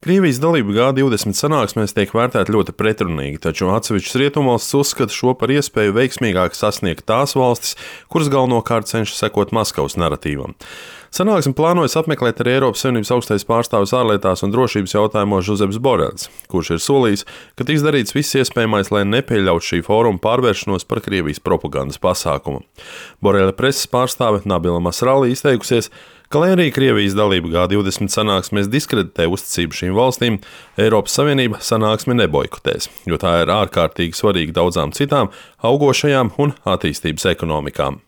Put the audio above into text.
Krievijas dalība G20 sanāksmēs tiek vērtēta ļoti pretrunīgi, taču atsevišķas rietumvalstis uzskata šo par iespēju veiksmīgāk sasniegt tās valstis, kuras galvenokārt cenšas sekot Maskavas naratīvam. Sanāksmi plānojas apmeklēt arī Eiropas Savienības augstais pārstāvis ārlietās un drošības jautājumos Žozeps Borels, kurš ir solījis, ka tiks darīts viss iespējamais, lai nepieļautu šī fóruma pārvēršanos par Krievijas propagandas pasākumu. Borela preses pārstāve Nabila Masrali izteikusies, ka, lai arī Krievijas dalība G20 sanāksmēs diskreditē uzticību šīm valstīm, Eiropas Savienība sanāksmi neboikotēs, jo tā ir ārkārtīgi svarīga daudzām citām augošajām un attīstības ekonomikām.